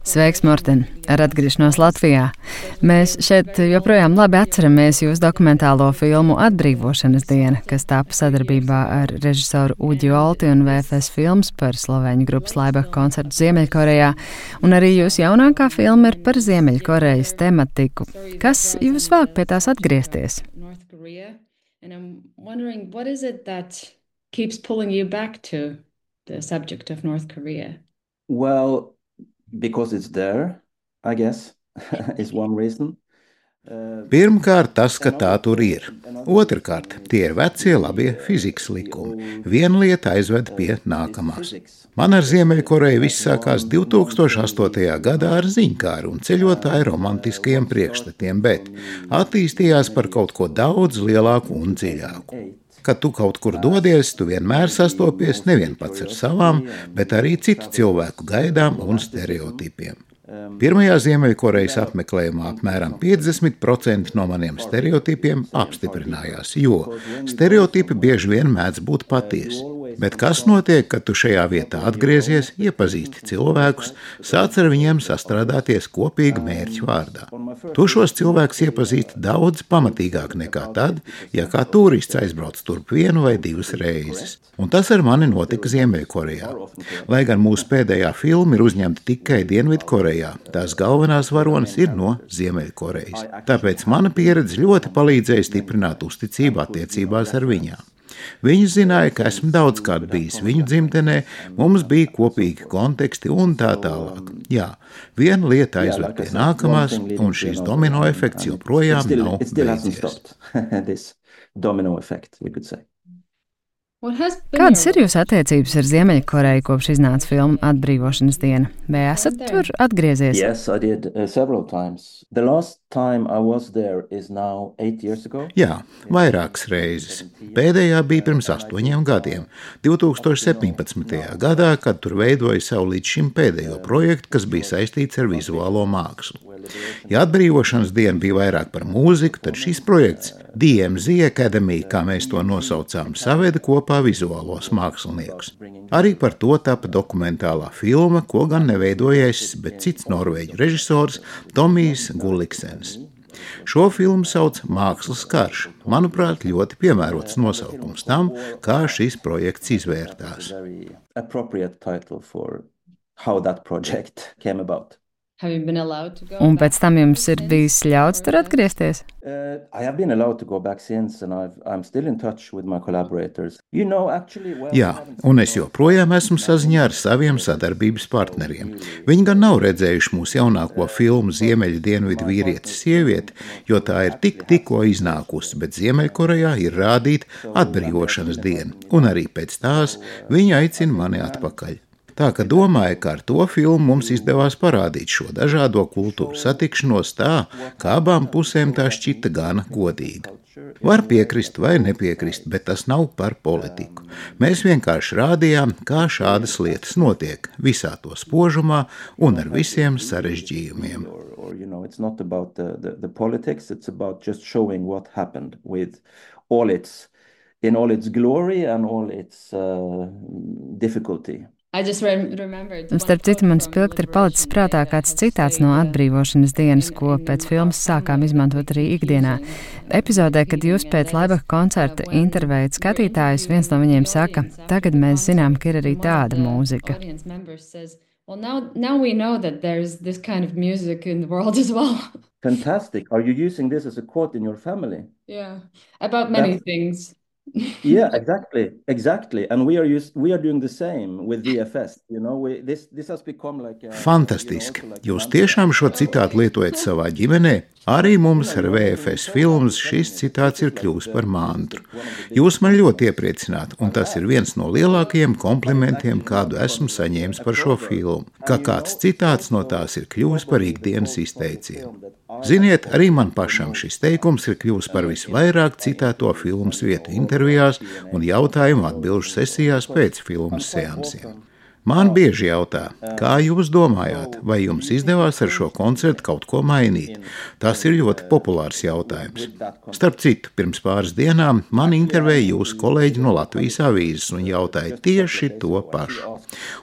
Sveiks, Morten! Ar atgriešanos Latvijā. Mēs šeit joprojām labi atceramies jūsu dokumentālo filmu Atbrīvošanas diena, kas tapa sadarbībā ar režisoru Uģi Olti un VFS filmas par slovēņu grupas Laibach koncertu Ziemeļkorejā. Un arī jūsu jaunākā filma ir par Ziemeļkorejas tematiku. Kas jūs vāk pie tās atgriezties? The subject of North Korea? Well, because it's there, I guess, is one reason. Pirmkārt, tas, ka tā tur ir. Otrkārt, tie ir vecie labie fizikas likumi. Viena lieta aizved pie nākamās. Man ar Ziemeļkoreju viss sākās 2008. gadā ar ziņkāru un ceļotāju romantiskajiem priekšstatiem, bet attīstījās par kaut ko daudz lielāku un dziļāku. Kad tu kaut kur dodies, tu vienmēr sastopies nevien pats ar savām, bet arī citu cilvēku gaidām un stereotipiem. Pirmajā Ziemeļkorejas apmeklējumā apmēram 50% no maniem stereotipiem apstiprinājās, jo stereotipi bieži vien mēdz būt patiesi. Bet kas notiek, kad tu šajā vietā atgriezies, iepazīsti cilvēkus, sāc ar viņiem sastrādāties kopīga mērķa vārdā? Tu šos cilvēkus iepazīsti daudz pamatīgāk nekā tad, ja kā turists aizbrauc turp vienu vai divas reizes. Un tas ar mani notika Ziemeļkorejā. Lai gan mūsu pēdējā filma ir uzņemta tikai Dienvidkorejā, tās galvenās varonas ir no Ziemeļkorejas. Tāpēc mana pieredze ļoti palīdzēja stiprināt uzticību attiecībās ar viņām. Viņi zināja, ka esmu daudzkārt bijis viņu dzimtenē, mums bija kopīgi konteksti un tā tālāk. Jā, viena lieta aizved pie nākamās, un šīs domino efekts joprojām nav beidzies. Kādas ir jūsu attiecības ar Ziemeļkoreju kopš iznāca filma Atbrīvošanas diena? Vai esat tur atgriezies? Yes, I did several times. The last time I was there is now 8 years ago. Jā, vairākas reizes. Pēdējā bija pirms 8 gadiem, 2017. gadā, kad tur veidoja savu līdz šim pēdējo projektu, kas bija saistīts ar vizuālo mākslu. Ja Atbrīvošanas diena bija vairāk par mūziku, tad šis projekts DMZ Academy, kā mēs to nosaucām, saveda kopā vizuālos māksliniekus. Arī par to tapa dokumentālā filma, ko gan neveidoja es, bet cits norvēģu režisors Tomijs Gulliksens. Šo filmu sauc Mākslas karš. Manuprāt, ļoti piemērots nosaukums tam, kā šis projekts izvērtās. Un pēc tam jums ir bijis ļauts tur atgriezties? Jā, un es joprojām esmu saziņā ar saviem sadarbības partneriem. Viņi gan nav redzējuši mūsu jaunāko filmu Ziemeļu dienvidu vīrietis sievieti, jo tā ir tikko iznākusi, bet Ziemeļkorejā ir rādīta Atbrīvošanas diena, un arī pēc tās viņi aicina mani atpakaļ. Tā ka domāju, ka ar to filmu mums izdevās parādīt šo dažādo kultūru satikšanos tā, ka abām pusēm tā šķita gana godīga. Var piekrist vai nepiekrist, bet tas nav par politiku. Mēs vienkārši rādījām, kā šādas lietas notiek visā to spožumā un ar visiem sarežģījumiem. Starp citu, man spilgti ir palicis prātā kāds citāts no Atbrīvošanas dienas, ko pēc filmas sākām izmantot arī ikdienā. Epizodē, kad jūs pēc Laibach koncerta intervējat skatītājus, viens no viņiem saka, tagad mēs zinām, ka ir arī tāda mūzika. Fantastic. Are you using this as a quote in your family? Yeah, about many things. Yeah, exactly. And we are doing the same with VFS. You know, this has become like Fantastiski. Jūs tiešām šo citātu lietojat savā ģimenē? Arī mums ar VFS filmas šis citāts ir kļuvis par mantru. Jūs man ļoti iepriecināt, un tas ir viens no lielākajiem komplimentiem, kādu esmu saņēmis par šo filmu, ka kāds citāts no tās ir kļuvis par ikdienas izteicienu. Ziniet, arī man pašam šis teikums ir kļuvis par visvairāk citēto filmas vietu intervijās un jautājumu atbilžu sesijās pēc filmas seansiem. Man bieži jautā, kā jūs domājāt, vai jums izdevās ar šo koncertu kaut ko mainīt? Tas ir ļoti populārs jautājums. Starp citu, pirms pāris dienām man intervēja jūsu kolēģi no Latvijas avīzes un jautāja tieši to pašu.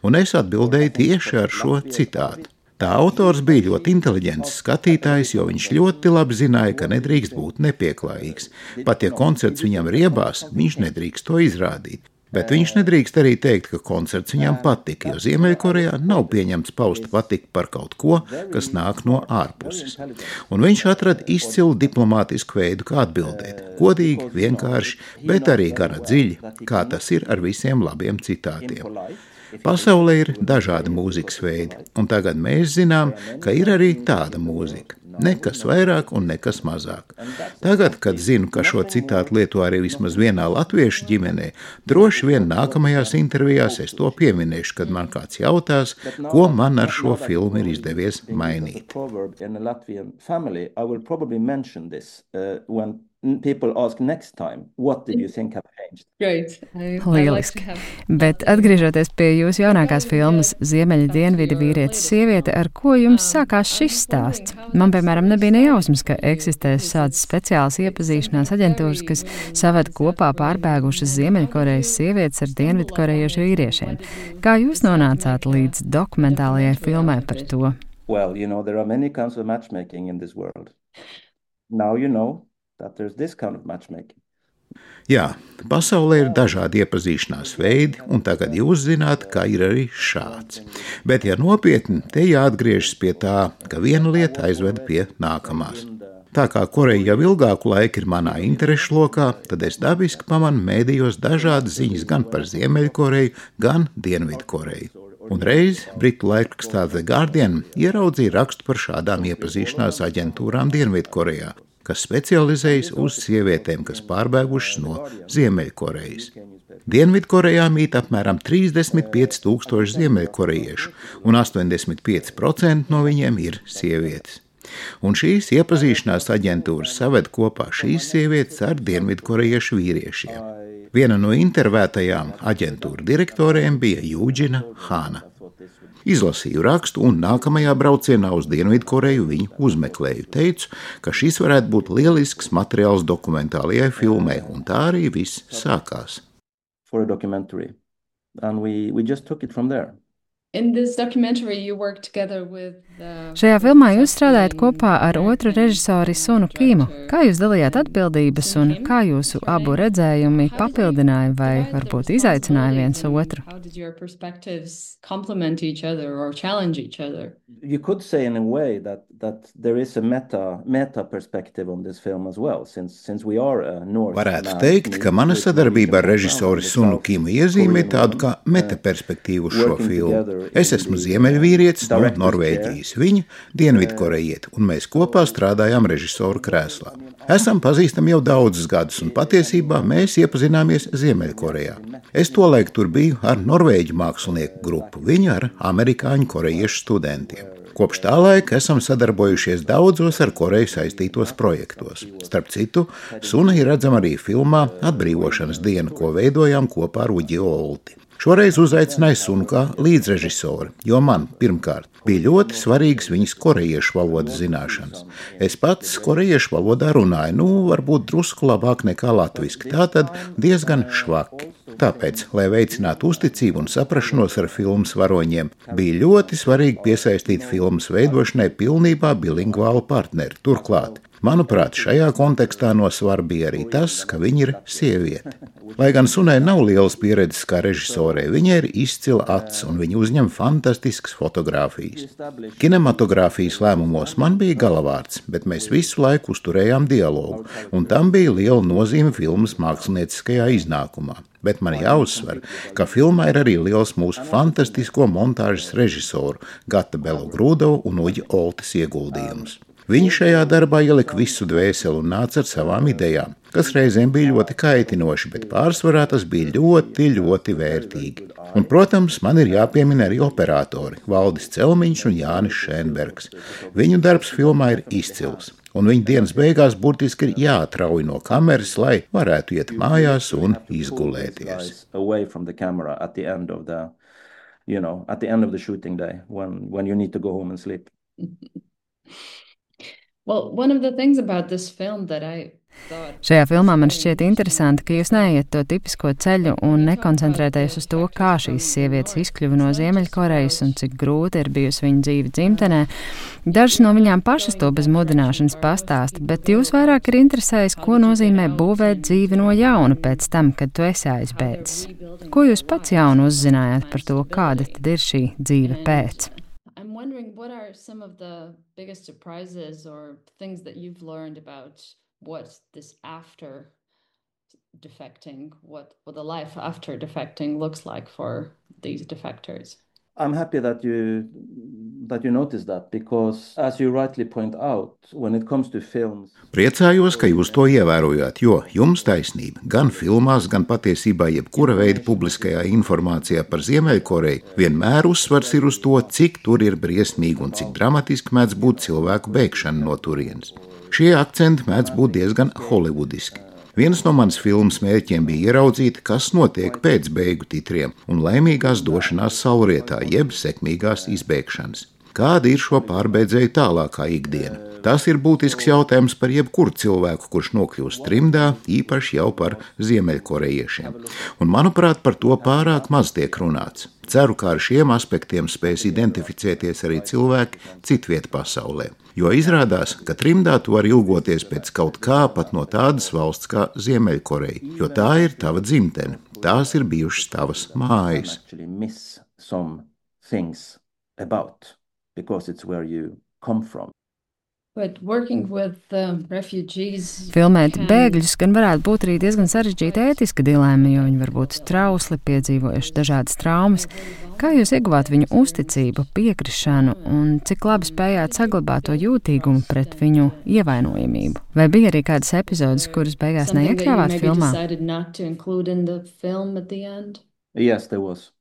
un es atbildēju tieši ar šo citātu. Tā autors bija ļoti inteliģents skatītājs, jo viņš ļoti labi zināja, ka nedrīkst būt nepieklājīgs. Pat ja koncerts viņam riebās, viņš nedrīkst to izrādīt. Bet viņš nedrīkst arī teikt, ka koncerts viņam patika, jo Ziemeļkorejā nav pieņemts paust patiku par kaut ko, kas nāk no ārpuses. Un viņš atrada izcilu diplomātisku veidu, kā atbildēt. Godīgi, vienkārši, bet arī gana dziļi, kā tas ir ar visiem labiem citātiem. Pasaulē ir dažādi mūzikas veidi, un tagad mēs zinām, ka ir arī tāda mūzika. Nekas vairāk un nekas mazāk. Tagad, kad zinu, ka šo citātu lieto arī vismaz vienā latviešu ģimenē, droši vien nākamajās intervijās es to pieminēšu, kad man kāds jautās, ko man ar šo filmu ir izdevies mainīt. People ask next time, what did you think have changed? Great. Lieliski. Bet atgriežoties pie jūsu jaunākās filmas Ziemeļa dienvidi vīrietis sieviete, ar ko jums sākās šis stāsts? Man, piemēram, nebija nejausmas, ka eksistēs šādas speciālas iepazīšanās aģentūras, kas saved kopā pārbēgušas Ziemeļkorejas sievietes ar dienvidkorejiešu vīriešiem. Kā jūs nonācāt līdz dokumentālajai filmai par to? Well, there are many kinds of matchmaking in this world. Now you know that there's this kind of matchmaking. Jā, pasaulē ir dažādi iepazīšanās veidi, un tagad jūs zināt, ka ir arī šāds. Bet, ja nopietni, te jāatgriežas pie tā, ka viena lieta aizved pie nākamās. Tā kā Koreja jau ilgāku laiku ir manā interešu lokā, tad es dabiski pamanu mēdījos dažādas ziņas gan par Ziemeļkoreju, gan Dienvidkoreju. Un reiz britu laikrakstā The Guardian ieraudzīja rakstu par šādām iepazīšanās aģentūrām Dienvidkorejā, kas specializējas uz sievietēm, kas pārbēgušas no Ziemeļkorejas. Dienvidkorejā mīt apmēram 35,000 ziemeļkorejiešu, un 85% no viņiem ir sievietes. Un šīs iepazīšanās aģentūras saved kopā šīs sievietes ar dienvidkorejiešu vīriešiem. Viena no intervētajām aģentūra direktoriem bija Jūģina Hāna. Izlasīju rakstu un nākamajā braucienā uz Dienvidkoreju viņu uzmeklēju. Teicu, ka šis varētu būt lielisks materiāls dokumentālajai filmai, un tā arī viss sākās. For a documentary. And we just took it from there. In this documentary, you work together with Šajā filmā jūs strādājat kopā ar otru režisori Sunu Kimu. Kā jūs dalījāt atbildības un kā jūsu abu redzējumi papildināja vai varbūt izaicināja viens otru? How did your perspectives complement each other or challenge each other? You could say in a way that there is a meta perspective on this film as well, since we are a North. Varētu teikt, ka mana sadarbība ar režisori Sunu Kimu iezīmē tādu kā meta perspektīvu uz šo filmu. Es esmu ziemeļvīrietis no Norvēģijas, viņa dienvidkorejieti, un mēs kopā strādājām režisoru krēslā. Esam pazīstami jau daudzus gadus, un patiesībā mēs iepazināmies Ziemeļkorejā. Es tolaik tur biju ar norvēģu mākslinieku grupu, viņa ar amerikāņu korejiešu studentiem. Kopš tā laika esam sadarbojušies daudzos ar Koreju saistītos projektos. Starp citu, Suna ir redzama arī filmā Atbrīvošanas diena, ko veidojām kopā ar Uģi Olti. Šoreiz uzaicināju Sunu kā līdzrežisori, jo man, pirmkārt, bija ļoti svarīgas viņas korejiešu valodas zināšanas. Es pats korejiešu valodā runāju, varbūt drusku labāk nekā latviski, tātad diezgan švaki. Tāpēc, lai veicinātu uzticību un saprašanos ar filmas varoņiem, bija ļoti svarīgi piesaistīt filmas veidošanai pilnībā bilingvālu partneri. Turklāt, manuprāt, šajā kontekstā no svara bija arī tas, ka viņa ir sieviete. Lai gan Sunai nav lielas pieredzes kā režisorei, viņai ir izcila acs un viņa uzņem fantastiskas fotogrāfijas. Kinematogrāfijas lēmumos man bija galavārds, bet mēs visu laiku uzturējām dialogu, un tam bija liela nozīme filmas mākslinieckajā iznākumā. Bet man jāuzsver, ka filmā ir arī liels mūsu fantastisko montāžas režisoru Gata Belogrūdovu un Uģa Oltes ieguldījums. Viņi šajā darbā ielika visu dvēseli un nāca ar savām idejām, kas reizēm bija ļoti kaitinoši, bet pārsvarā tas bija ļoti, ļoti vērtīgi. Un, protams, man ir jāpiemina arī operatori Valdis Celmiņš un Jānis Šēnbergs. Viņu darbs filmā ir izcils, un viņa dienas beigās burtiski ir jāatrauj no kameras, lai varētu iet mājās un izgulēties. At the end of the shooting day, when you need to go home and sleep. Well, one of the things about this film that I Šajā filmā man šķiet interesanti, ka jūs neiet to tipisko ceļu un nekoncentrēties uz to, kā šīs sievietes izkļuva no Ziemeļkorejas un cik grūti ir bijusi viņa dzīve dzimtenē. Dažas no viņām pašas to bez mudināšanas pastāsta, bet jūs vairāk ir interesējis, ko nozīmē būvēt dzīvi no jauna pēc tam, kad tu esi aizbēdzis. Ko jūs pats jaunu uzzinājāt par to, kāda tad ir šī dzīve pēc? I'm wondering what are some of the biggest surprises or things that you've learned about what this after defecting, what the life after defecting looks like for these defectors. I'm happy that you noticed that because, as you rightly point out, when it comes to films. Priecājos, ka jūs to ievērojāt, jo jums taisnība gan filmās, gan patiesībā jebkura veida publiskajā informācijā par Ziemeļkoreju vienmēr uzsvars ir uz to, cik tur ir briesmīgi un cik dramatiski mēdz būt cilvēku bēgšana no turienes. Šie akcenti mēdz būt diezgan holivudiski. Viens no manas filmas mērķiem bija ieraudzīt, kas notiek pēc beigu titriem un laimīgās došanās saulrietā, jeb sekmīgās izbēgšanas. Kāda ir šo pārbēdzēju tālākā ikdiena? Tas ir būtisks jautājums par jebkuru cilvēku, kurš nokļūst trimdā, īpaši jau par ziemeļkorejiešiem. Un, manuprāt, par to pārāk maz tiek runāts. Ceru, ka ar šiem aspektiem spēs identificēties arī cilvēki citviet pasaulē. Jo izrādās, ka trimdā tu vari ilgoties pēc kaut kā pat no tādas valsts kā Ziemeļkoreja, jo tā ir tava dzimtene, tās ir bijušas tavas mājas. Filmēt bēgļus gan varētu būt arī diezgan sarežģīta ētiska dilēma, jo viņi var būt trausli, piedzīvojuši dažādas traumas. Kā jūs ieguvāt viņu uzticību, piekrišanu un cik labi spējāt saglabāt to jūtīgumu pret viņu ievainojamību? Vai bija arī kādas epizodes, kuras beigās neiekļāvāt filmā? Yes, there was.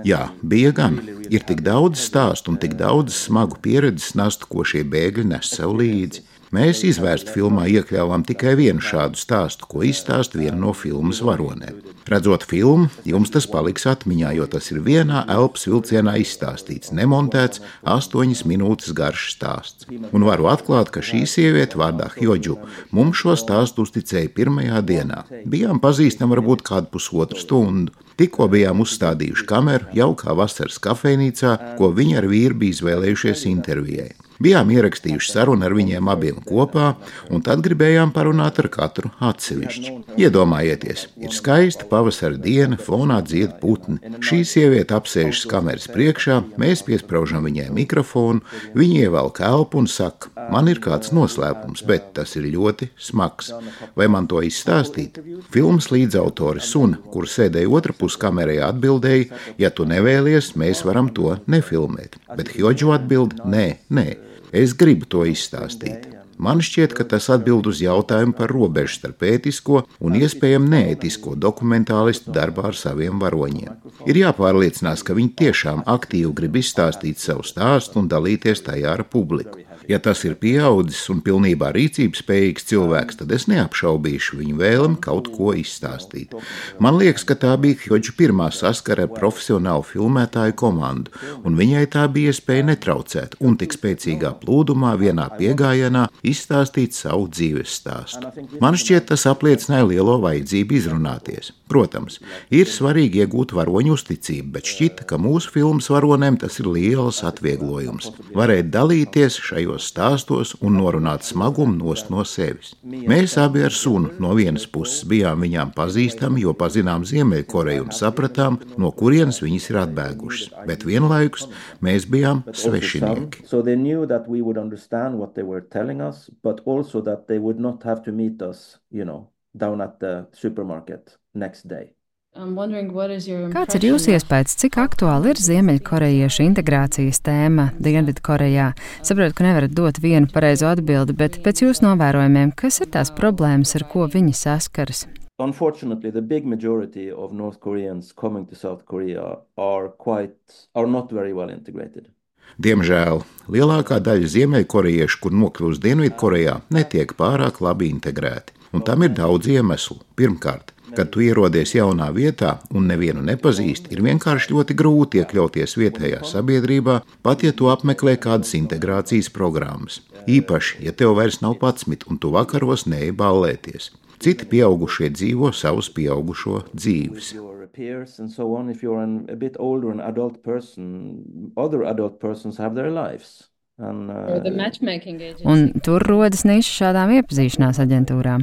Jā, bija gan. Ir tik daudz stāstu un tik daudz smagu pieredzes nastu, ko šie bēgļi nes sev līdzi. Mēs izvērstu filmā iekļāvām tikai vienu šādu stāstu, ko izstāsta viena no filmas varonēm. Redzot filmu, jums tas paliks atmiņā, jo tas ir vienā elpas vilcienā izstāstīts, nemontēts 8 minūtes garš stāsts. Un varu atklāt, ka šī sieviete vārdā Hjodžu mums šo stāstu uzticēja pirmajā dienā. Bijām pazīstami varbūt kādu pusotru stundu. Tikko bijām uzstādījuši kameru jaukā vasaras kafejnīcā, ko viņi ar vīru bija izvēlējušies intervijai. Bijām ierakstījuši sarunu ar viņiem abiem kopā, un tad gribējām parunāt ar katru atsevišķi. Iedomājieties, ir skaista pavasara diena, fonā dzied putni. Šī sieviete apsēžas kameras priekšā, mēs piespraužam viņai mikrofonu, viņa ievelk elpu un saka, man ir kāds noslēpums, bet tas ir ļoti smags. Vai man to izstāstīt? Filmas līdzautore Sun, kur sēdēja otra pus kamerai, atbildēja, ja tu nevēlies, mēs varam to nefilmēt. Bet Hjodžu atbild, nē. Es gribu to izstāstīt. Man šķiet, ka tas atbild uz jautājumu par robežu starp ētisko un iespējami neētisko dokumentālistu darbā ar saviem varoņiem. Ir jāpārliecinās, ka viņi tiešām aktīvi grib izstāstīt savu stāstu un dalīties tajā ar publiku. Ja tas ir pieaudzis un pilnībā rīcības spējīgs cilvēks, tad es neapšaubīšu viņu vēlmi kaut ko izstāstīt. Man liekas, ka tā bija Hjodžu pirmā saskara ar profesionālu filmētāju komandu, un viņai tā bija iespēja netraucēt un tik spēcīgā plūdumā vienā piegājienā izstāstīt savu dzīves stāstu. Man šķiet, tas apliecināja lielo vajadzību izrunāties. Protams, ir svarīgi iegūt varoņu uzticību, bet šķita, ka mūsu filmas varonēm tas ir liels atvieglojums. Varēt dalīties šajos stāstos un norunāt smagumu nost no sevis. Mēs abi ar Sunu no vienas puses bijām viņām pazīstami, jo pazinām Ziemeļkoreju un sapratām, no kurienes viņas ir atbēgušas, bet vienlaikus mēs bijām svešinieki. But also that they would not have to meet us, down at the supermarket next day. Kāds ir jūsu iespējas, cik aktuāli ir ziemeļkorejiešu integrācijas tēma Dienvidkorejā? Saprotu, ka nevarat dot vienu pareizo atbildi, bet pēc jūsu novērojumiem, kas ir tās problēmas, ar ko viņi saskaras? Unfortunately, the big majority of North Koreans coming to South Korea are not very well integrated. Diemžēl lielākā daļa ziemeļkorejiešu, kur nokļūst Dienvidkorejā, netiek pārāk labi integrēti. Un tam ir daudz iemeslu. Pirmkārt, kad tu ierodies jaunā vietā un nevienu nepazīsti, ir vienkārši ļoti grūti iekļauties vietējā sabiedrībā, pat ja tu apmeklē kādas integrācijas programmas. Īpaši, ja tev vairs nav 11 un tu vakaros neej ballēties. Citi pieaugušie dzīvo savus pieaugušo dzīves. Un tur rodas niša šādām iepazīšanās aģentūrām.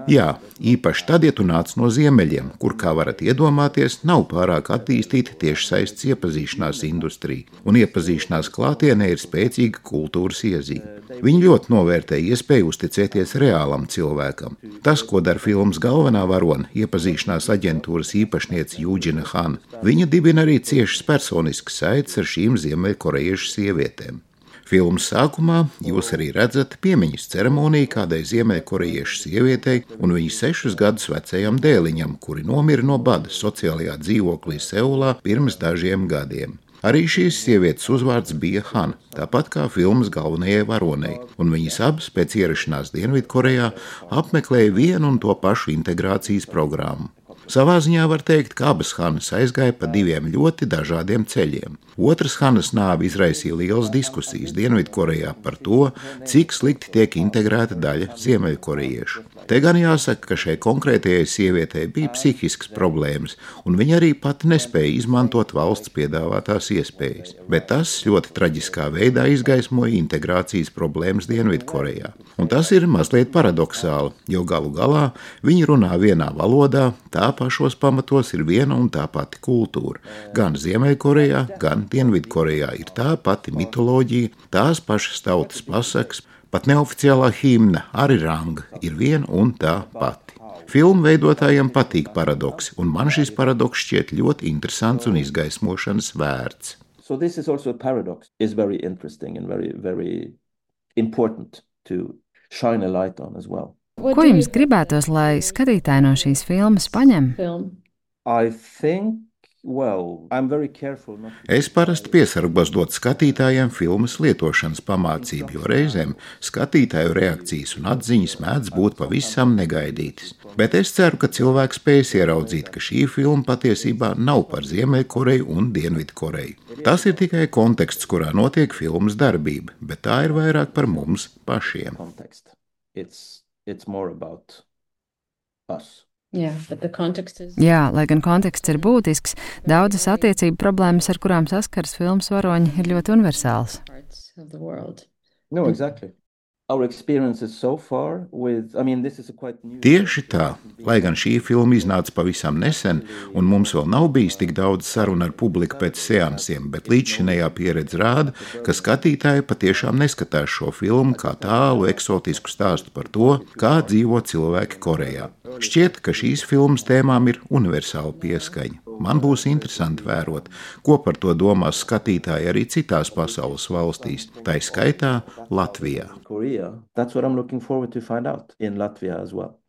Jā, īpaši tad, ja tu nāc no ziemeļiem, kur, kā varat iedomāties, nav pārāk attīstīta tiešsaistes iepazīšanās industrija, un iepazīšanās klātienē ir spēcīga kultūras iezīme. Viņi ļoti novērtē iespēju uzticēties reālam cilvēkam. Tas, ko dara filmas galvenā varone, iepazīšanās aģentūras īpašniece Jūģina Han, viņa dibina arī ciešas personiskas saites ar šīm ziemeļkorejiešu sievietēm. Filmas sākumā jūs arī redzat piemiņas ceremoniju kādai ziemeļkorejiešu sievietei un viņas 6 gadus vecajam dēliņam, kuri nomira no bada sociālajā dzīvoklī Seulā pirms dažiem gadiem. Arī šīs sievietes uzvārds bija Han, tāpat kā filmas galvenajai varonei, un viņas abas pēc ierašanās Dienvidkorejā apmeklēja vienu un to pašu integrācijas programmu. Savā ziņā var teikt, ka abas Hanas aizgāja pa 2 ļoti dažādiem ceļiem. Otras Hanas nāve izraisīja lielas diskusijas Dienvidkorejā par to, cik slikti tiek integrēta daļa ziemeļkorejiešu. Te gan jāsaka, ka šai konkrētajai sievietei bija psihiskas problēmas, un viņa arī pati nespēja izmantot valsts piedāvātās iespējas. Bet tas ļoti traģiskā veidā izgaismoja integrācijas problēmas Dienvidkorejā. Un tas ir mazliet paradoxāli, jo galu galā viņi runā vienā valodā, tā pašos pamatos ir viena un tā pati kultūra. Gan Ziemeļkorejā, gan Dienvidkorejā ir tā pati mitoloģija, tās pašas tautas pasakas, pat neoficiālā himna Arirang ir viena un tā pati. Filmu veidotājiem patīk paradoksi, un man šis paradoks šķiet ļoti interesants un izgaismošanas vērts. So this is also a paradox. It's very interesting and very important to shine a light on as well. Ko jums gribētos, lai skatītāji no šīs filmas paņem? Es parasti piesargos dot skatītājiem filmas lietošanas pamācību, jo reizēm skatītāju reakcijas un atziņas mēdz būt pavisam negaidītas. Bet es ceru, ka cilvēks spēs ieraudzīt, ka šī filma patiesībā nav par Ziemeļkoreju un Dienvidkoreju. Tas ir tikai konteksts, kurā notiek filmas darbība, bet tā ir vairāk par mums pašiem. It's more about us. Jā, lai gan konteksts ir būtisks, daudzas attiecību problēmas, ar kurām saskars filmas varoņi, ir ļoti universāls. No, exactly. Tieši tā, lai gan šī filma iznāca pavisam nesen, un mums vēl nav bijis tik daudz sarunu ar publiku pēc seansiem, bet līdzšinējā pieredze rāda, ka skatītāji patiešām neskatās šo filmu kā tālu eksotisku stāstu par to, kā dzīvo cilvēki Korejā. Šķiet, ka šīs filmas tēmām ir universāla pieskaņa. Man būs interesanti vērot, ko par to domās skatītāji arī citās pasaules valstīs, tai skaitā Latvijā. That's what I'm looking forward to find out in Latvia as well.